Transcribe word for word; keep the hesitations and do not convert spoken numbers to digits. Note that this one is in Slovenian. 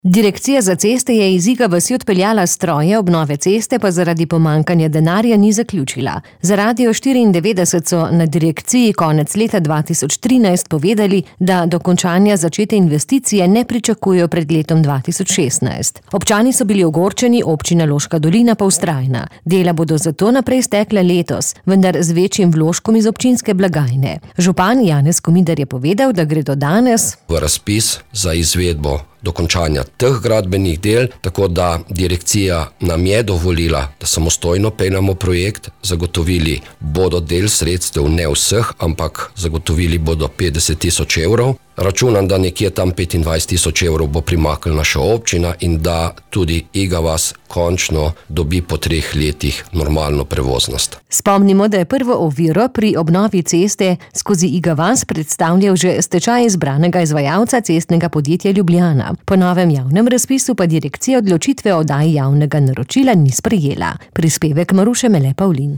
Direkcija za ceste je iz Iga vasi odpeljala stroje, obnove ceste pa zaradi pomanjkanja denarja ni zaključila. Za Radio štiriindevetdeset so na direkciji konec leta dva tisoč trinajst povedali, da dokončanja začete investicije ne pričakujejo pred letom dva tisoč šestnajst. Občani so bili ogorčeni, občina Loška dolina pa vztrajna. Dela bodo zato naprej stekla letos, vendar z večjim vložkom iz občinske blagajne. Župan Janez Komidar je povedal, da gre do danes v razpis za izvedbo dokončanja teh gradbenih del, tako da direkcija nam je dovolila, da samostojno peljamo projekt, zagotovili bodo del sredstev, ne vseh, ampak zagotovili bodo petdeset tisoč evrov. Računam, da nekje tam petindvajset tisoč evrov bo primaknila naša občina in da tudi Iga vas končno dobi po treh letih normalno prevoznost. Spomnimo, da je prvo oviro pri obnovi ceste skozi Iga vas predstavljal že stečaj izbranega izvajalca cestnega podjetja Ljubljana. Po novem javnem razpisu pa direkcija odločitve o oddaji javnega naročila ni sprejela. Prispevek Maruše Mele Pavlin.